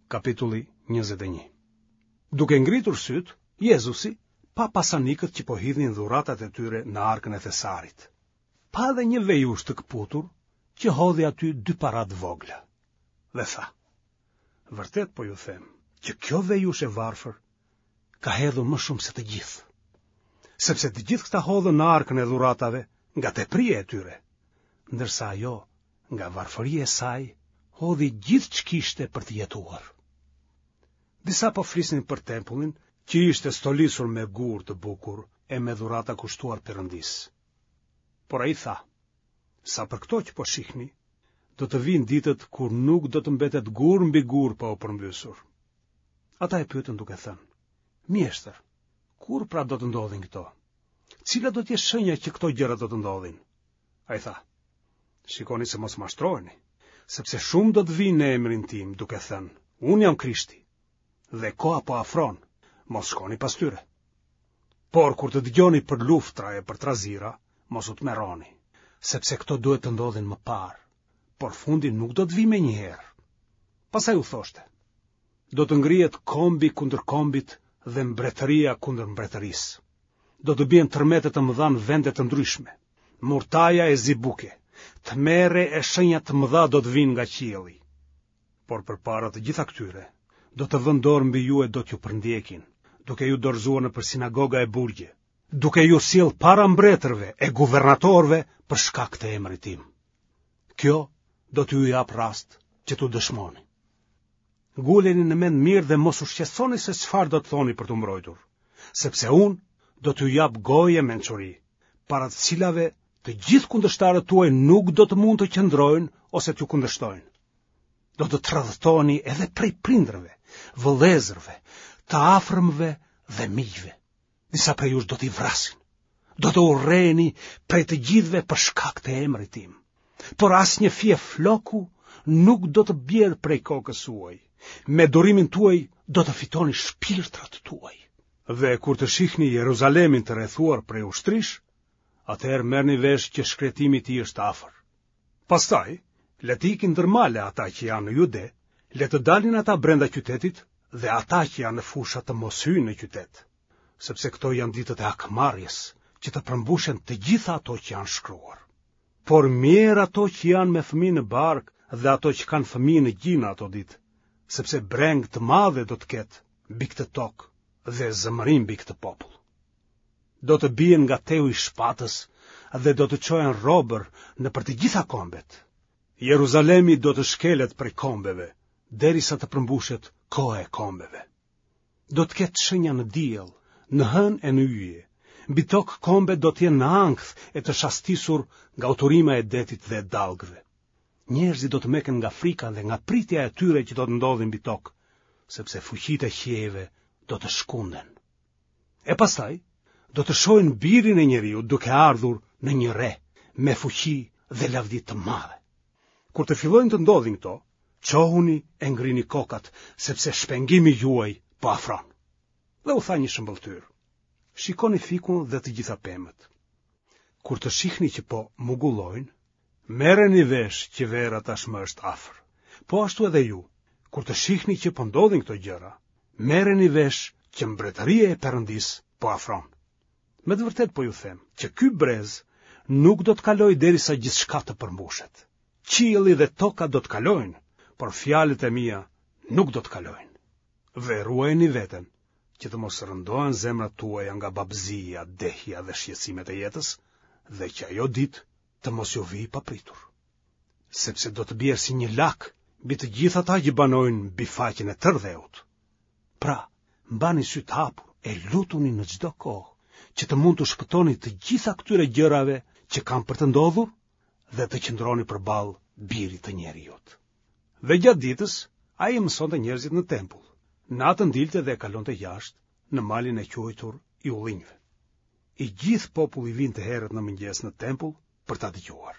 Kapitulli 21. Duke ngritur sytë, Jezusi pa pasanikët që po hidhnin dhuratat e tyre në arkën e thesarit. Pa edhe një vejushë të këputur që hodhi aty dy para të vogla. Dhe tha: Vërtet po ju them që kjo vejushë e varfër ka hedhur më shumë se të gjithë. Sepse të gjithë këta hodhën në arkën e dhuratave nga tepria e tyre, ndërsa ajo nga varfëria e saj hodhi gjithë ç'kishte për të jetuar. Disa po flisnin për tempullin që ishte stolisur me gurë të bukur e me dhurata kushtuar Perëndisë. Por ai tha, sa për këto që po shihni, do të vijnë ditët kur nuk do të mbetet gur mbi gur pa u përmbysur. Ata e pyetën duke thënë, Mjeshtër, kur pra do të ndodhin këto? Cila do të jetë shenja që këto gjëra do të ndodhin? Ai tha, Shikoni se mos mashtroheni, sepse shumë do të vijnë në emrin tim duke thënë, unë jam Krishti, dhe koha po afron, mos shkoni pas tyre. Por kur të dëgjoni për luftra e për trazira, mos u tmerroni, sepse këto duhet të ndodhin më parë, por fundi nuk do të vijë menjëherë. Pastaj u thoshte, do të ngrihet kombi kundër kombit dhe mbretëria kundër mbretërisë. Do të bien tërmete të mëdha në vende të ndryshme, murtaja e zi buke, tmerre e shenja të mëdha do të vijnë nga qielli. Por përpara të gjitha këtyre, do të vënë dorë mbi ju e do t'ju përndjekin, duke ju dorëzuar nëpër sinagoga e burgje, duke ju sjellë para mbretërve e guvernatorëve për shkak të emrit tim. Kjo do t'ju japë rast që të dëshmoni. Nguleni në mend mirë dhe mos u shqetësoni se çfarë do të thoni për t'u mbrojtur, sepse unë do t'ju jap gojë e mençuri, para të cilave të gjithë kundërshtarët tuaj nuk do të mund të qëndrojnë ose t'ju kundërshtojnë. Do të tradhtoheni edhe prej prindërve, vëllezërve, të afërmve dhe miqve. Disa prej jush do t'i vrasin. Do të urreheni prej të gjithëve për shkak të emrit tim. Por asnjë fije floku nuk do të bjerë prej kokës suaj. Me durimin tuaj do të fitoni shpirtrat tuaj. Dhe kur të shihni Jeruzalemin të rrethuar prej ushtrish, atëherë merrni vesh që shkretimi i tij është afër. Pastaj, le të ikin ndër male ata që janë në Jude, le të dalin ata brenda qytetit dhe ata që janë në fusha të mos hyjnë në qytet, sepse këto janë ditët e hakmarrjes, që të përmbushen të gjitha ato që janë shkruar. Por mjerë ato që janë me fëmijë në bark dhe ato që kanë fëmijë në gji në ato ditë, sepse brengë të madhe do të ketë mbi këtë tokë dhe zemërim mbi këtë popull. Do të bien nga teu i shpatës dhe do të çohen robër nëpër të gjitha kombet. Jeruzalemi do të shkelet prej kombeve, derisa të përmbushet koha e kombeve. Do të ketë shenja në diell, në hënë e në yje. Mbi tokë kombet do të jenë në ankth e të shastisur nga uturima e detit dhe e dallgëve. Njerëzit do të meken nga frika dhe nga pritja e atyre që do të ndodhin mbi tokë, sepse fuqitë e qiejve do të shkunden. E pastaj, do të shohin birin e njeriut duke ardhur në një re, me fuqi dhe lavdi të madhe. Kur të fillojnë të ndodhin këto, çohuni e ngrini kokat, sepse shpengimi juaj po afron. Dhe u tha një shëmbëlltyrë. Shikoni fikun dhe të gjitha pemët. Kur të shihni që po mugullojnë, Merreni vesh që vera tashmë është afër. Po ashtu edhe ju, kur të shihni që po ndodhin këto gjëra, merreni vesh që mbretëria e Perëndisë po afron. Me të vërtetë po ju them që ky brez nuk do të kalojë derisa gjithçka të përmbushet. Qielli dhe toka do të kalojnë, por fjalët e mia nuk do të kalojnë. Dhe ruajeni veten që të mos rëndohen zemrat tuaja nga babëzia, dehja dhe shqetësimet e jetës, dhe që ajo ditë të mos ju vijë papritur. Sepse do të bjerë si një lak mbi të gjithë ata që banojnë mbi faqen e tërë dheut. Pra, mbani sytë hapur e lutuni në çdo kohë, që të mund t'u shpëtoni të gjitha këtyre gjërave që kanë për të ndodhur dhe të qëndroni përballë birit të njeriut. Dhe gjatë ditës, ai i mësonte njerëzit në tempull. Natën dilte dhe e kalonte jashtë, në malin e quajtur i ullinjve. I gjithë populli vinte herët në mëngjes në tempull për ta dëgjuar.